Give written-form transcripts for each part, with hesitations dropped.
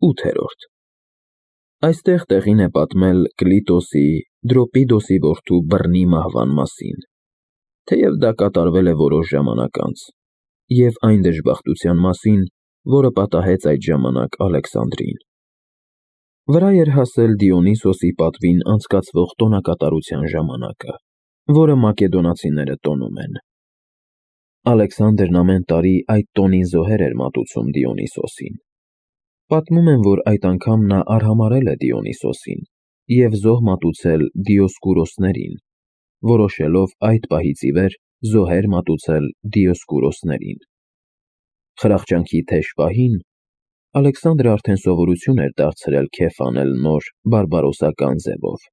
8-րդ Այստեղ տեղին է պատմել Կլիտոսի, Դրոպիդոսի որդու բռնի մահվան մասին, թեև դա կատարվել է որոշ ժամանակ անց, և այն դժբախտության մասին, որը պատահեց այդ ժամանակ Ալեքսանդրին։ Վրա էր հասել Դիոնիսոսի պատվին անցկացվող տոնակատարության ժամանակը, որը մակեդոնացիները տոնում են։ Ալեքսանդրն ամեն տարի այդ տոնին զոհեր էր մատուցում Դիոնիսոսին։ Պատմում են, որ այդ անգամ նա արհամարհել է Դիոնիսոսին և զոհ մատուցել Դիոսկուրոսներին, որոշելով այդ պահից ի վեր զոհեր մատուցել Դիոսկուրոսներին։ Խրախճանքի թեժ պահին Ալեքսանդրը արդեն սովորություն էր դարձրել քեֆ անել նոր բարբարոսական ձևով։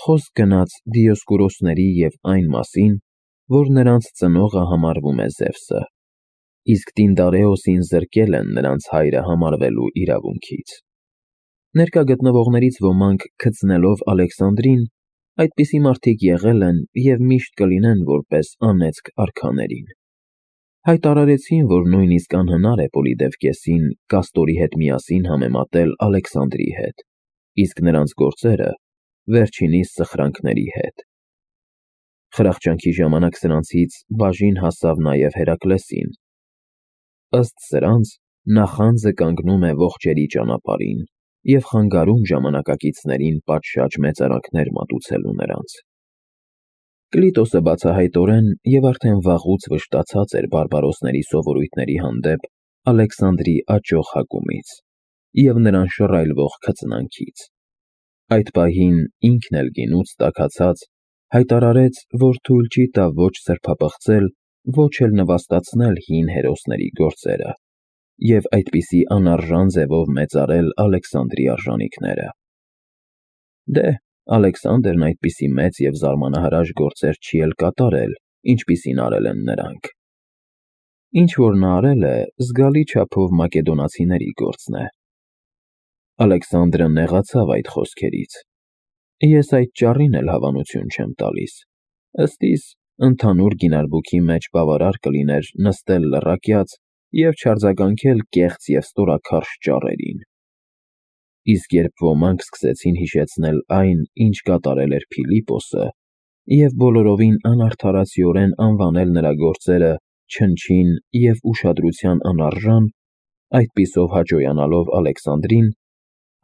Խոսք գնաց Դիոսկուրոսների և այն մասին, որ նրանց ծնողը համարվում է Զևսը, իսկ Տինդարեոսին զրկել են նրանց հայրը համարվելու իրավունքից։ Ներկա գտնվողներից ոմանք քծնելով Ալեքսանդրին, այդպիսի մարդիկ եղել են և միշտ կլինեն որպես անեծք արքաներին։ Հայտարարեցին, որ նույնիսկ անհնար է Պոլիդևկեսին Կաստորի հետ միասին համեմատել Ալեքսանդրի հետ, իսկ նրանց գործերը վերջինիս սխրանքների հետ։ Խրախճանքի ժամանակ սրանցից բաժին հասավ նաև Հերակլեսին։ Ըստ սրանց, նախանձը կանգնում է ողջերի ճանապարհին և խանգարում ժամանակակիցներին պատշաճ մեծարանքներ մատուցելու նրանց։ Կլիտոսը բացահայտորեն և արդեն վաղուց վշտացած էր բարբարոսների սովորույթների հանդեպ Ալեքսանդրի աճող հակումից և նրան շռայլվող քծնանքից։ Այդ պահին ինքն էլ գինուց տաքացած հայտարարեց, որ թույլ չի տա ոչ սրբապղծել, ոչ էլ նվաստացնել հին հերոսների գործերը և այդպիսի անարժան ձևով մեծարել Ալեքսանդրի արժանիքները։ Դե, Ալեքսանդրն այդպիսի մեծ և զարմանահրաշ գործեր չի էլ կատարել, ինչպիսին արել են նրանք։ Ինչ որ նա արել է, զգալի չափով մակեդոնացիների գործն է։ Ալեքսանդրը նեղացավ այդ խոսքերից։ Ես այդ ճառին էլ հավանություն չեմ տալիս, ըստ իս, ընդհանուր գինարբուքի մեջ բավարար կլիներ նստել լռակյաց և չարձագանքել կեղծ և ստորաքարշ ճառերին։ Իսկ երբ ոմանք սկսեցին հիշեցնել այն, ինչ կատարել էր Փիլիպոսը, և բոլորովին անարդարացիորեն անվանել նրա գործերը չնչին և ուշադրության անարժան, այդպիսով հաճոյանալով Ալեքսանդրին,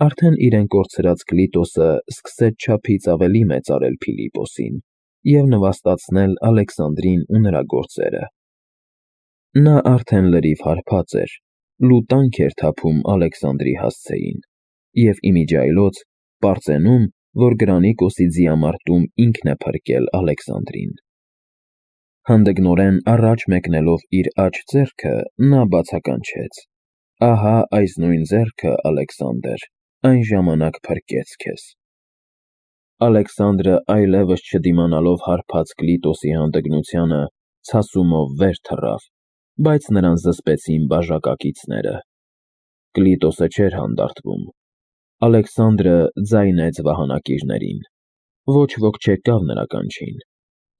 արդեն իրեն կորցրած Կլիտոսը սկսեց չափից ավելի մեծարել Փիլիպոսին և նվաստացնել Ալեքսանդրին ու նրա գործերը։ Նա արդեն լրիվ հարբած էր, լուտանք էր թափում Ալեքսանդրի հասցեին և իմիջիայլոց պարծենում, որ Գրանիկոսի ձիամարտում ինքն է փրկել Ալեքսանդրին։ Հանդգնորեն առաջ մեկնելով իր աջ ձեռքը, նա բացականչեց. «Ահա այս նույն ձեռքը, Ալեքսանդր, այն ժամանակ փրկեց քեզ»։ Ալեքսանդրը այլևս չդիմանալով հարբած Կլիտոսի հանդգնությանը, ցասումով վեր թռավ, բայց նրան զսպեցին բաժակակիցները։ Կլիտոսը չէր հանդարտվում։ Ալեքսանդրը ձայնեց վահանակիրներին։ Ոչ ոք չեկավ նրա կանչին,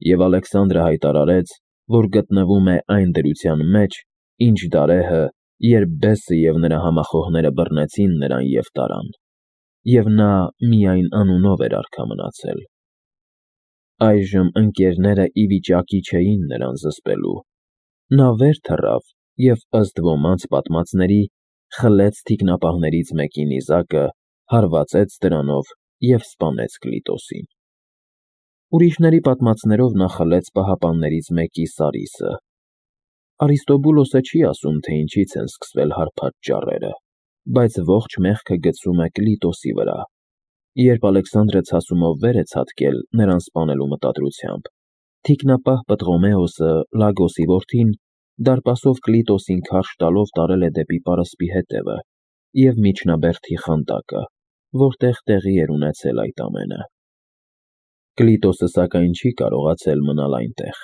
և Ալեքսանդրը հայտարարեց, որ գտնվում է այն դրության մեջ, ինչ դարեհը, երբ բեսը և նրա համախոհները բռնեցին նրան և տարան, և նա միայն անունով էր արքա մնացել։ Այժմ ընկերները ի վիճակի չէին նրան զսպելու։ Նա վեր թռավ և, ըստ ոմանց պատմածների, խլեց թիկնապահներից մեկի նիզակը, հարվածեց դրանով և սպանեց Կլիտոսին։ Ուրիշների պատմածներով նա խլեց պահապաններից մեկի սարիսը։ Արիստոբուլոսը չի ասում, թե ինչից են սկսվել հարբած ճառերը, բայց ողջ մեղքը գցում է Կլիտոսի վրա։ Երբ Ալեքսանդրը ցասումով վեր է ցատկել նրան սպանելու մտադրությամբ, թիկնապահ Պտղոմեոսը, Լագոսի որդին, դարպասով Կլիտոսին քարշ տալով տարել է դեպի պարսպի հետևը և միջնաբերդի խանդակը, որտեղ տեղի էր ունեցել այդ ամենը։ Կլիտոսը սակայն չի կարողացել մնալ այնտեղ,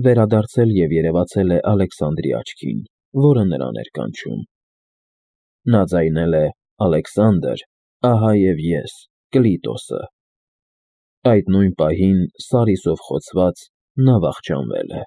վերադարձել և երևացել է Ալեքսանդրի աչքին, որը նրան էր կանչում։ Նա ձայնել է. «Ալեքսանդր, ահա և ես, Կլիտոսը»։ Այդ նույն պահին, սարիսով խոցված, նա վախճանվել է։